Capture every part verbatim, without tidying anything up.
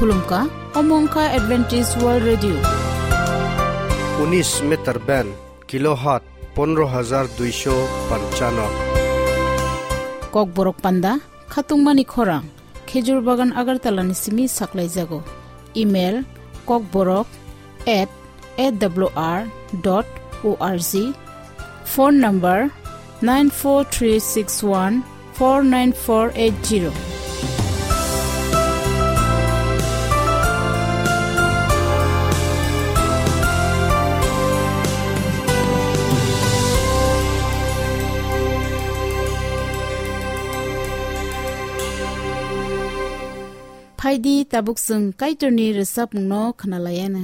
Khulumkha, omo wngkha Adventist World Radio. Unis meter band, kilohertz pondro hajar duisho panchano. Kokborok panda, khatungmani khorang, Khejur Bagan Agartala ni simi saklaijago. Email, kokborok at A W R dot O R G. Phone number nine four three six one four nine four eight zero. Phaidi tabuk chwng Kaitorni rwchapmungno khwnalaiana.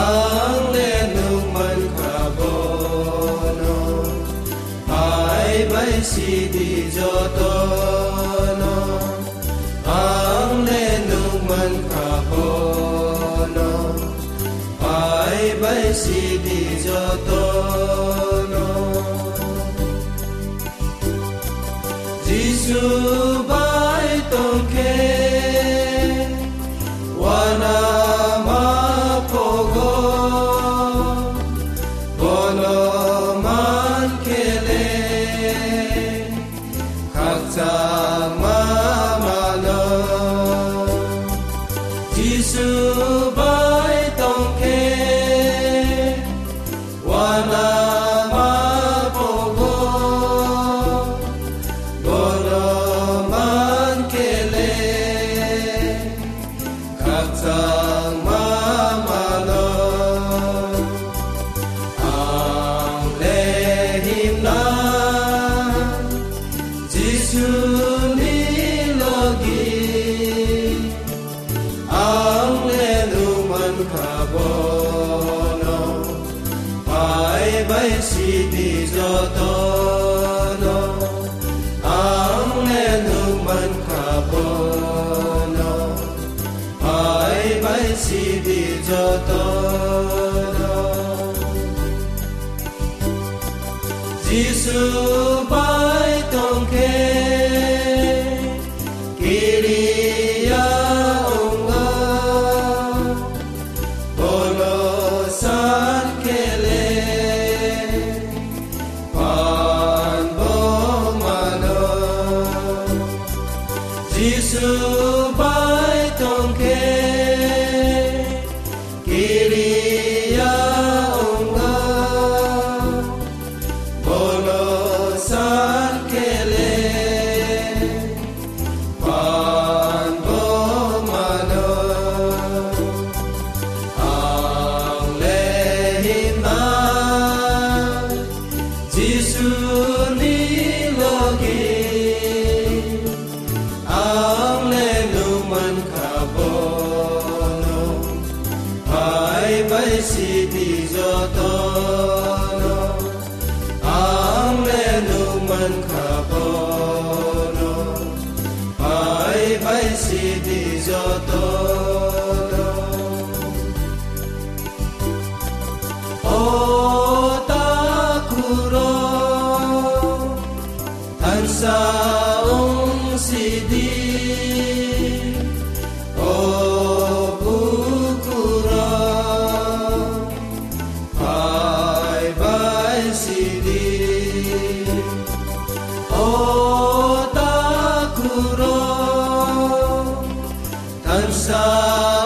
Ang le nukmankha bono, phai bai sidi jotono. Ang le nukmankha bono, phai bai sidi jotono. Jisu bai tongkhe, uanama phogo, bono mankhe le, khakchangma mano. Jisu bai tongkhe, uanama phogo, bono mankhe le, khakchangma mano. Ang le himna Jisuni logi. Ang le nukmankha bono, phai bai sidi jotono. Ang le nukmankha bono, phai bai sidi jotono. Jisu bai tongkhe kiriya wngo, bono sankhe le phan bo mano. Jisu bai tongkhe kiriya wngo, bono sankhe le phan bo mano. Ang le himna Jisuni logi. Ang le nukmankha bono, phai bai sidi jotono. Ang le nukmankha bono, phai bai sidi jotono. O takhurok, thansa wng sidi, o bukhurok, phai bai sidi, o takhurok, thansa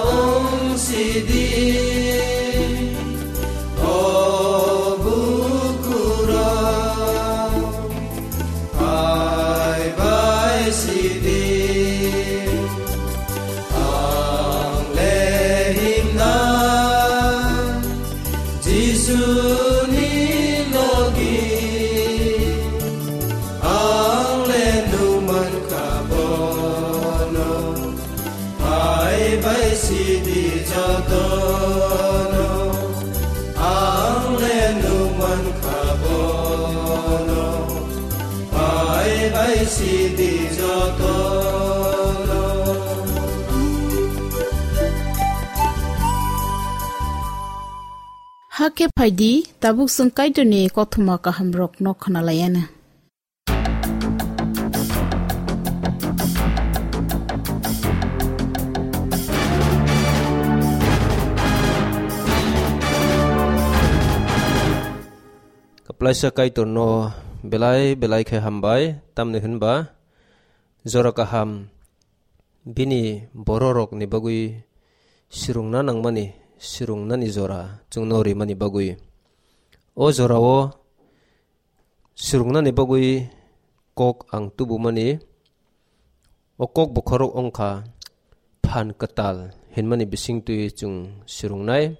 wng sidi, o bukhurok, phai bai sidi. Ang le himna Jisuni logi. Ang le nukmankha bono, phai bai sidi jotono. Ang le nukmankha bono, phai Bai sidi joto. Hakhe phaidi, tabuk chwng Kaitorni kothoma kahamrokno khwnalaianw. Kaplaisa Kaitorno belai belai khe hambai, tamni hwnba jora kaham bini bororokni bagwi swrwngna nangmani, swrwngnani jora chwngno rimani bagwi. O jorao swrwngnani bagwi kok ang tubumani, o kok bokhorok wngkha phan kwtal hinmani bisingtwi chwng swrwngnai.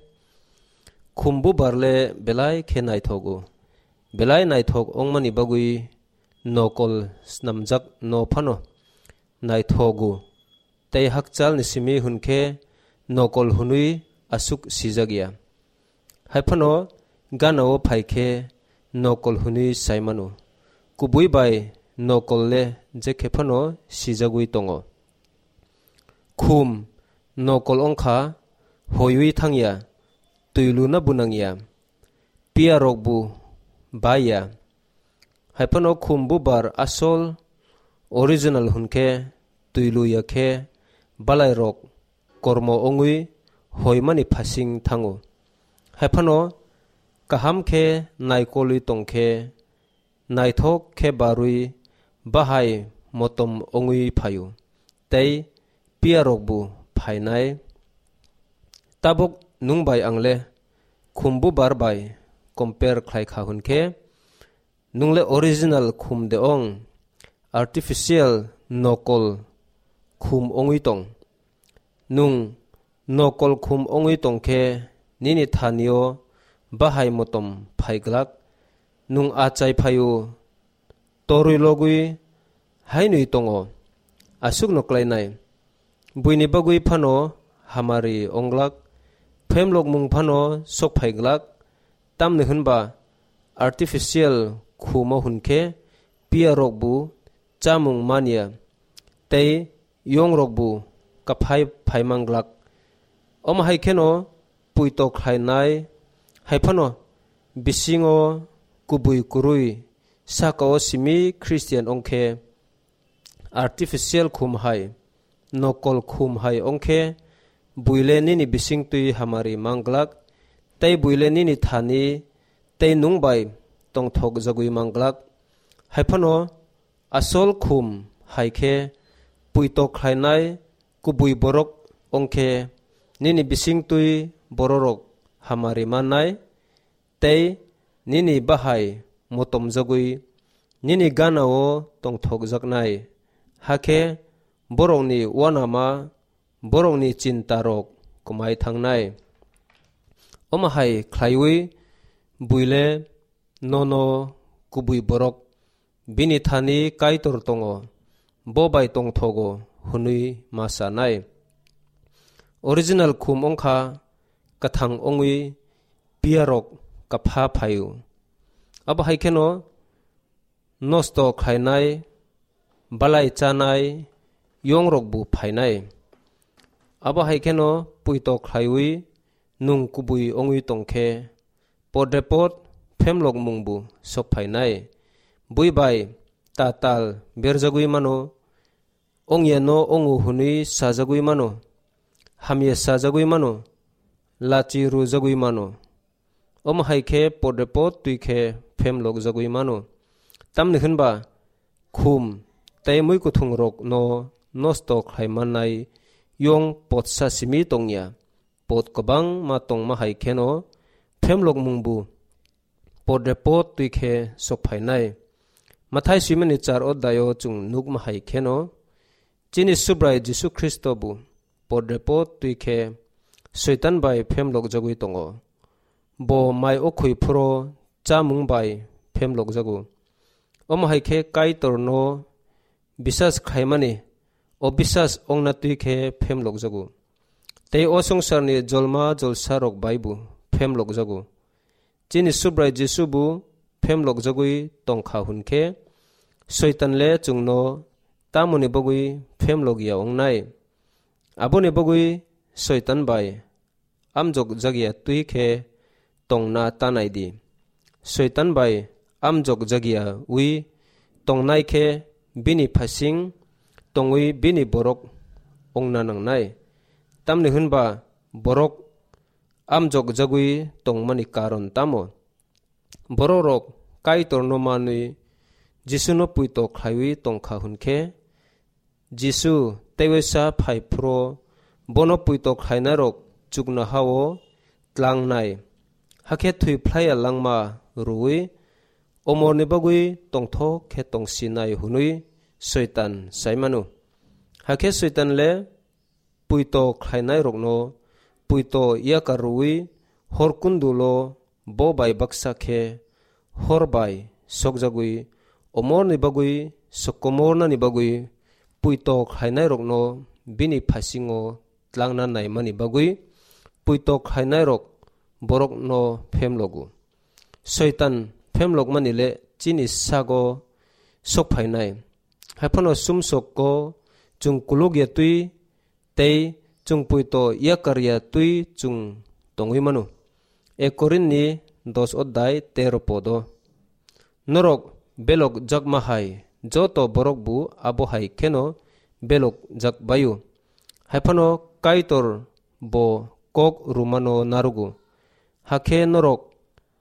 Khum bubar le belai khe naithogo. Belai naithok wngmani bagwi nokol snamjak no phano naithogo. Tei hakchalni simi hwn khe nokol hwnwi aswk sijak ya. Hai phano gana-o phai khe nokol hwnwi sai mano. Kubui bai nokol le je khe phano sijagwi tongo. Khum nokol wngkha hoiwi thang ya, twi luna bu nang ya, piya rok bu bai ya. Hai phano khum bubar asol original hwn khe twi lu ya khe balai rok kormo wngwi hoimani phasing thango. Hai phano kaham khe naikolwi tong khe, naithok khe barwi bahai motom wngwi phaio, tei piya rok bu phainai. Tabuk nwng bai ang le khum bubar bai compare khlai kha hwn khe, nwng le original khum de ong, artificial nokol khum wngwi tong. Nwng nokol khum wngwi tong khe nini thani-o bahai motom phai glak. Nwng achai phai-o, torwi logwi hainwi tongo, aswkno klainai. Buini bagwi phano hamari wng glak, phemlokmung phano sok phai glak, tamni hwn ba artificial khumo hwn khe piya rok bu chamung man ya, tei yong rok bu kaphai phai man glak. Omo hai kheno puito khlainai, hai phano bisingo kubui kwrwi saka-o simi Christian wng khe, artificial khum hai, nokol khum hai wng khe, buile nini bisingtwi hamari man glak, tei buile nini thani tei nwng bai tongthok jagwi man glak. Hai phano asol khum hai khe puito khlainai kubui borok wng khe, nini bisingtwi bororok hamari mannai, tei nini bahai motomjagwi nini gana-o tongthokjaknai, hakhe borokni uanama, borokni chintarok kwmai thangnai. Omo hai khlaiwi buile nono kubui borok bini thani Kaitor tongo, bo bai tongthogo hwnwi ma sanai. Original khum wngkha kwthang wngwi piyarok kapha phaio. Abo hai kheno nosto khlainai, balai chanai, yongrok bu phainai. Abo hai kheno puito khlaiwi nwng kubui wngwi tong khe, podrepot phemlokmung bu sok phainai. Bui bai tatal berjagwi mano, ongya no ongo hwnwi sajagwi mano, hamya sajagwi mano, lachi rwjagwi mano. Omo hai khe podrepot twi khe phemlokjagwi mano. Tamni hwn ba khum tei mui kuthungrokno nosto khlai mannai yong potsa simi tongya. Pot kwbangma tongma hai kheno phemlokmung bu podrepot twi khe sok phainai. Mathai swimani char odhai-o chwng nukma hai kheno, chini Subrai Jisu Khristo bu podrepot twi khe Soitan bai phemlokjagwi tongo. Bo mai okhoi phuro chamung bai phemlokjago. Omo hai khe Kaitorno bisas khaimani obisas ongna twi khe phemlokjago. Tei o swngcharni jolma jolsarok bai bo phemlokjago. Chini Subrai Jisu bo phemlokjagwi tongkha hwn khe, Soitan le chwngno tamoni bagwi phemlok ya wngnai? Aboni bagwi Soitan bai amjok jakya twi khe tongna tanai di. Soitan bai amjok jakya wi tongnai khe bini phasing tongwi bini borok wngna nangnai. Tamni hwnba borok amjok jagwi tongmani karon tamo? Borok rok Kaitorno manwi Jisuno puito khlaiwi tongkha hwnkhe, Jisu teiwaisa phai phro bono puito khlainairok chuknoha-o tlangnai, hakhe thwi phlaiya langma rwui omorni bagwi tongthok khe tongsinai hwnwi Soitan sai mano. Hakhe Soitan le puito khlainairokno puito yakar rwui hor kundulo bo bai baksa khe hor bai sokjagwi omorni bagwi sokomornani bagwi puito khlainairokno bini phasingo tlangna naimani bagwi puito khlainairok borokno phemlogo. Soitan phemlokmani le chini sago sokphainai. Haiphano sumsokgo chwng kulukya twi tei chwng puito yakarya twi chwng tongwi mano. Ek Korinthni dos odhai tero podo. Norok belok jakma hai joto borok bo abo hai kheno belok jak baio. Haiphano Kaitor bo kok rumano narugo. Hakhe norok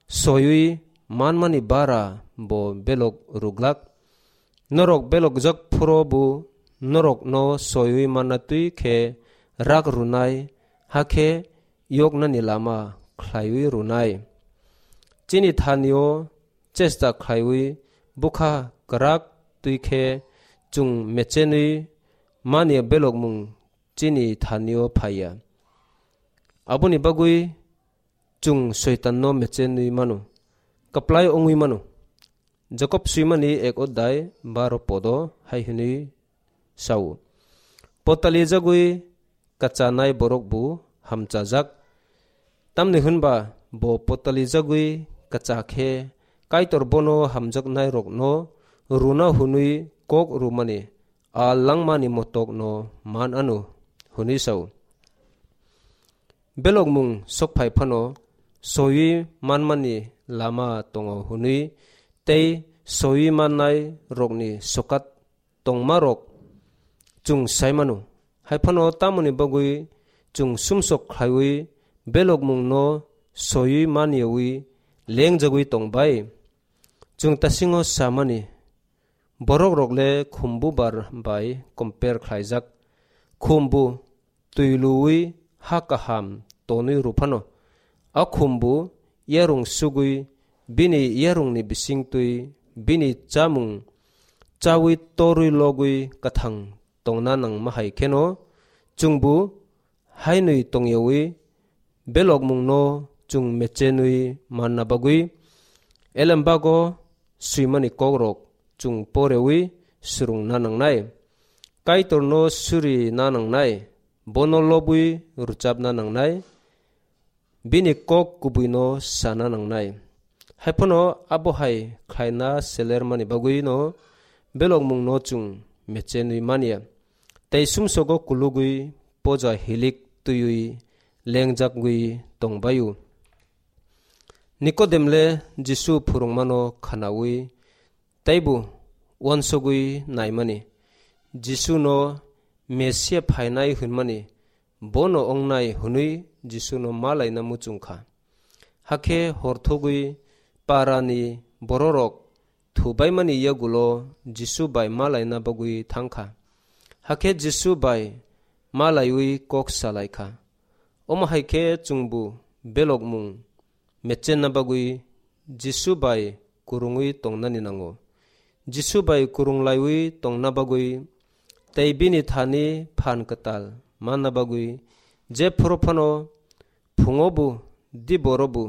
soiwi manmani bara bo belok ruglak. Norok belokjak phuru bo norokno soiwi manna twi khe rak rwnai, hakhe yoknani lama khlaiwi rwnai. Chini thanio chesta khlaiwi bwkha kwrak twi khe chwng mechenwi mani belokmung chini thanio phaiya. Aboni bagwi chwng Soitanno mechenwi mano, kwplai wngwi mano. Jakob swimani ek odhai baro podo hai hwnwi sao, "Potali jagwi kachanai borok bo hamchajak, tamni hwnba bo potali jagwi kacha khe Kaitor bono hamjaknairokno rwna hwnwi kok rwmani a langmani motokno man anw," hwnwi sao. Belokmung sokphai phano soiwi manmani lama tongo hwnwi tei soiwi mannai rokni sokat tongmarok chwng sai mano. Hai phano tamoni bagwi chwng sumsok khlaiwi belokmungno soiwi manyawi lengjagwi tong bai? Chwng tasingo samani, borok rok le khumbu bar bai compare khlaijak. Khumbu twi luwi ha kaham tonwi rw phano, a khumbu yarung sugwi bini yarungni bisingtwi bini chamung chawi torwi logwi kwthang tongna nangma hai kheno chwngbo hainwi tongyawi belokmungno chwng mechenwi manna bagwi elembago swimani kokrok chwng porewi swrwngna nangnai. Kaitorno suri na nangnai, bono lobwi rwchapna nangnai, bini kok kubuino sana nangnai. Hai phano abo hai khlaina selermani bagwino belokmungno chwng mechenwi manya, tei sumsogo kulugwi poja hilik twiwi lengjagwi tongbaio. Nikodem le Jisu phwrwngmano khwnawi teibo uansugwi naimani, Jisuno Mesia phainai hwnmani bono wngnai hwnwi Jisuno malaina muchung kha. Hakhe horthogwi parani bororok thubaimani yagulo Jisu bai malaina bagwi thang kha. Hakhe Jisu bai malaiwi kok salai kha. Omo hai khe chwngbo belokmung mechenna bagwi Jisu bai kwrwngwi tongnani nango. Jisu bai kwrwng laiwi tongna bagwi tei bini thani phan kwtal manna bagwi je phuru phano phungo bo, diboro bo,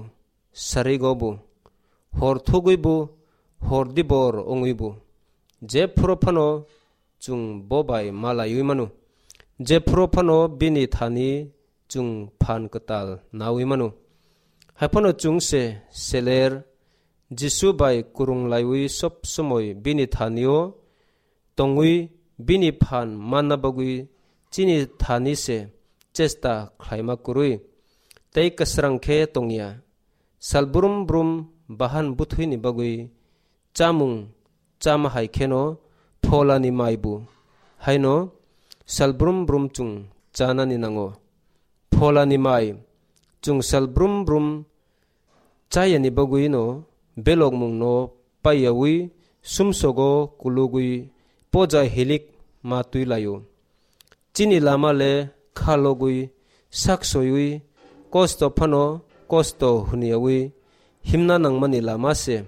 sarigo bo, hor thugwi bo, hor dibor wngwi bo, je phuru phano chwng bo bai malaiwi mano. Je phuru phano bini thani chwng phan kwtal nawi mano. Hai phano chwng se seler Jisu bai kwrwnglaiwi sob somoi bini thani-o tongwi bini phan manna bagwi chini thani se chesta khlaima kwrwi tei kwsrang khe tongya. Sal brum brum bahan bwthwini bagwi chamung chama hai kheno pholani mai bu haino sal brum brum chwng chanani nango. Pholani mai chwng sal brum brum chayani bagwino belokmungno paiyawi sumsogo kulugwi poja hilik ma twi laio. Chini lama le kha logwi sak soiwi kosto phano kosto hwnyawi himna nangmani lama se.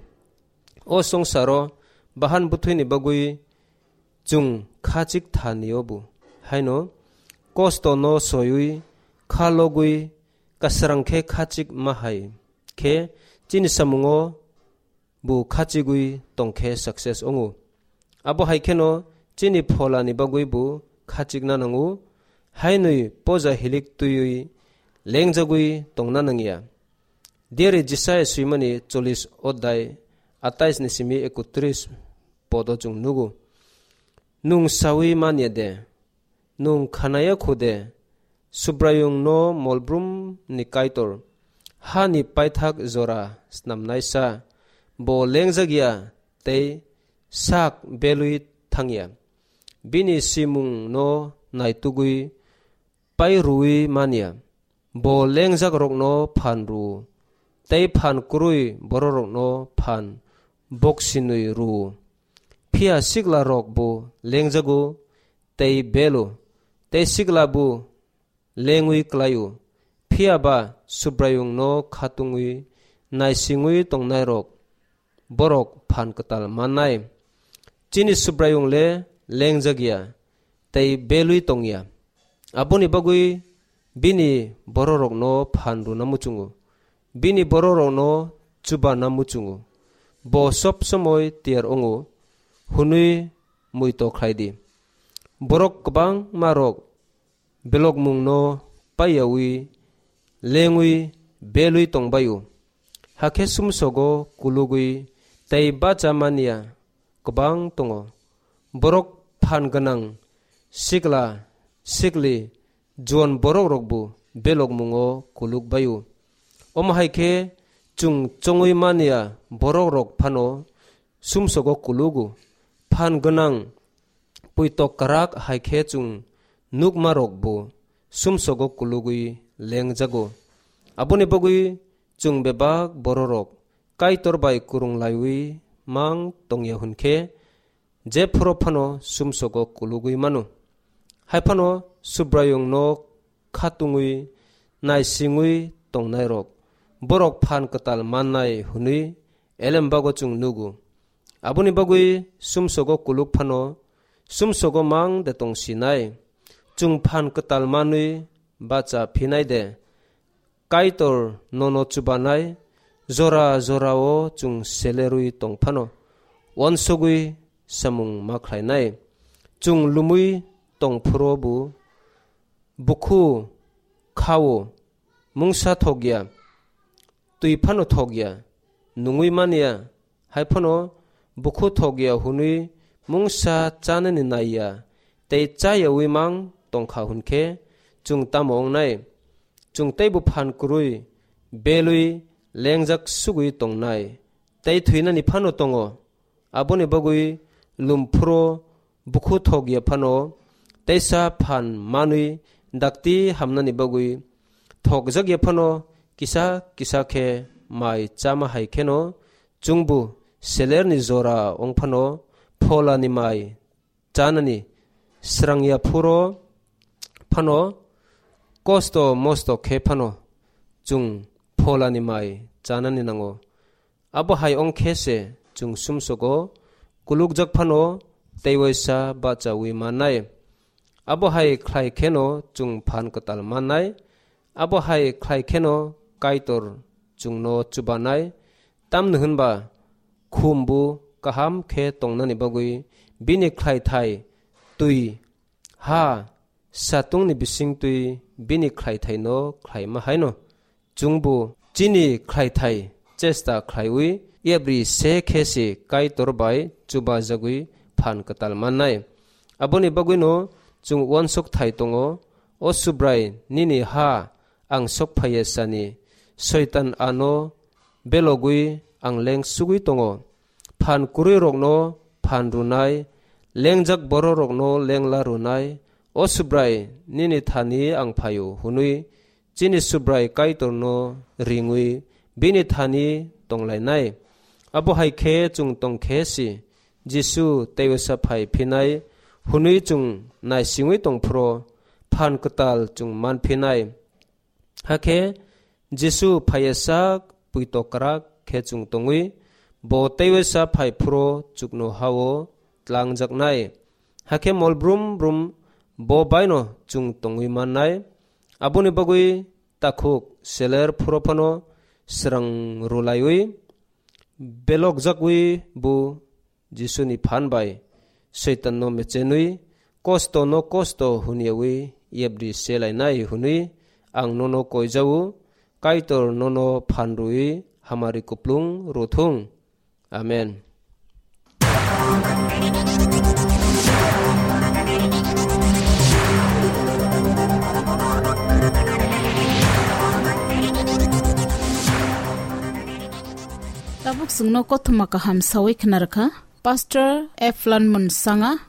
O songsaro bahan bwthwini bagwi chwng khachik thani obo. Haino kosto no soiwi kha logwi kasrang khe khachik ma hai khe chini samungo bo khachigwi tongkhe success wngo. Abo hai kheno chini pholani bagwi bo khachikna nango, hainwi poja hilik twiwi lengjagwi tongna nangya. Diari Jisaya swimani chollish odai atais ni simi ekotris podo chwng nugo. Nung sawi manya de, nung khanaya khude, Subraiyung no molbrum ni Kaitor, ha ni paithak jora snamnaisa, bo lengjak ya tei sak belwi thangya. Bini simung no naitugwi pai rwwi manya. Bo lengjak rokno phan rw, tei phan kwrwi bororokno phan boksinwi rw. Phiya sikla rok bo lengjago tei belo, tei sikla bo lengwi klaio. Phiya ba Subraiyungno khatungwi naisingwi tongnairok borok phan kwtal mannai. Chini Subraiyung le lengjak ya, tei belwi tong ya. Aboni bagwi bini bororokno phan rwna muchungo, bini bororokno chubana muchungo. Bo sob somoi tiyar wngo, hwnwi muito khlai di. Borok kwbangma rok belokmungno paiyawi lengwi belwi tongbaio. Hakhe sumsogo kulugwi tei bacha manya kwbang tongo. Borok phan gwnang sikla sikli juan borok rokbo belokmungo kuluk baio. Omo hai khe chwng chongwi manya borok rok phano sumsogo kulugo. Phan gwnang puitok kwrak hai khe chwng nukma rok bo sumsogo kulugwi lengjago. Aboni bagwi chwng bebak bororok Kaitor bai kwrwng laiwi mang tongya hwn khe, jephuru phano sumsogo kulugwi mano. Hai phano Subraiyungno khatungwi naisingwi tongnairok borok phan kwtal mannai hwnwi elembago chwng nugo. Aboni bagwi sumsogo kuluk phano sumsogo mang de tongsinai. Chwng phan kwtal manwi bacha phinai de. Kaitor nono chubanai jora jorao chwng selerwi tong phano uansugwi samung ma khlainai. Chwng lumwi tong phuru bo bukhu khao, mungsa thok ya, twi phano thok ya, nungwi man ya, hai phano bukhu thok ya hwnwi mungsa chanani nai ya, tei cha yaui mang tong kha hwn khe chwng tamo wngnai? Chwng teibo phan kwrwi belwi lengjak sugwi tongnai, tei thwinani phano tongo. Aboni bagwi lum phuru bukhu thok ya phano teisa phan manwi dakti hamnani bagwi thokjak ya phano kisa kisa khe mai chama hai kheno chwngbo selerni jora wng phano pholani mai chanani srang ya phuru phano kosto mosto khe phano chwng pholani mai chanani nango. Abo hai wng khe se chwng sumsogo kulukjak phano tei waisa bachaui mannai. Abo hai khlai kheno chwng phan kwtal mannai. Abo hai khlai kheno Kaitor chwngno chubanai. Tamni hwnba khumbu kaham khe tongnani bagwi bini khlaithai twi ha satungni bisingtwi bini khlaithaino khlaima haino chwngbo chini khlaithai chesta khlaiwi yapri se khe se Kaitor bai chubajagwi phan kwtal mannai. Aboni bagwino chwng uansuk thai tongo, O Subrai, nini ha ang sok phaiya sani, Soitan ano belogwi ang leng sugwi tongo. Phan kwrwirokno phan rwnai, lengjak bororokno lengla rwnai, O Subrai, nini thani ang phaio, hwnwi chini Subrai Kaitorno ringwi bini thani tonglainai. Abo hai khe chwng tong khe si, Jisu teiwisa phai phinai hwnwi chwng naisingwi tong phro, phan kwtal chwng man phinai. Hakhe Jisu phaiya sak puito kwrak khe chwng tongwi, bo teiwisa phai phro chuknohao tlangjaknai. Hakhe mol brum brum bo baino chwng tongwi mannai. Aboni bagwi takhuk seler phuro phano srang rwlaiwi belokjagwi bo Jisuni phan bai Soitanno mechenwi, kosto no kosto hwnyawi yapri selainai hwnwi ang nono koijao, Kaitor nono phan rwwi hamari kuplung rwthung. Amen. Tabuk chwngno kothoma kaham sawi khna rwkha Pastor Eflan Munsanga.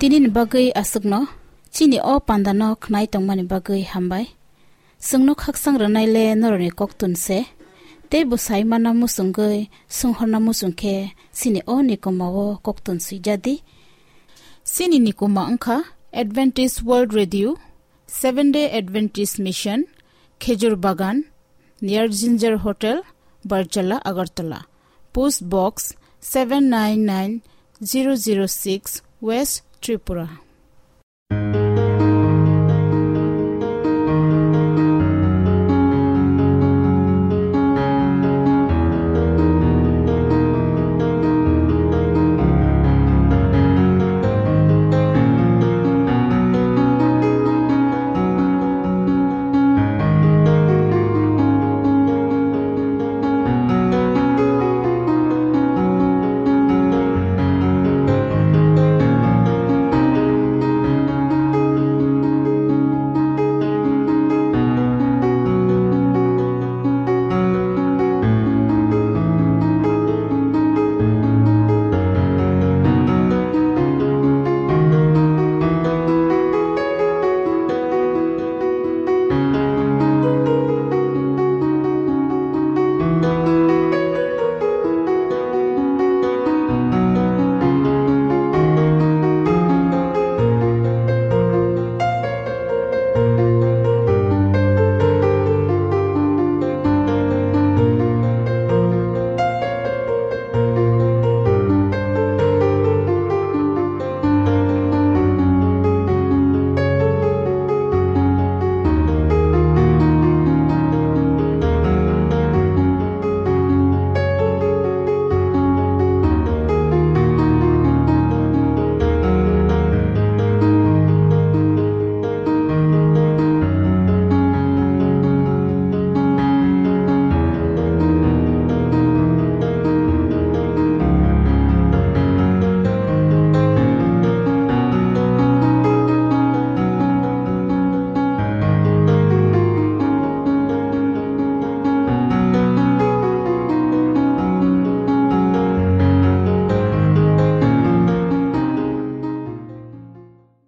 Nini bagwi aswkno chini o pandano khnai tongmani bagwi hambai. Chwngno khaksang rwnaile norokni koktun se, tei bo sai manna muchungwi swnghorna muchung khe chini o nikoma o koktun swijadi. Chini nikoma wngkha Adventist World Radio, Seventh Day Adventist Mission, Khejur Bagan, near Ginger Hotel, Barjala, Agartala. Post Box seven nine nine zero zero six, West Tripura.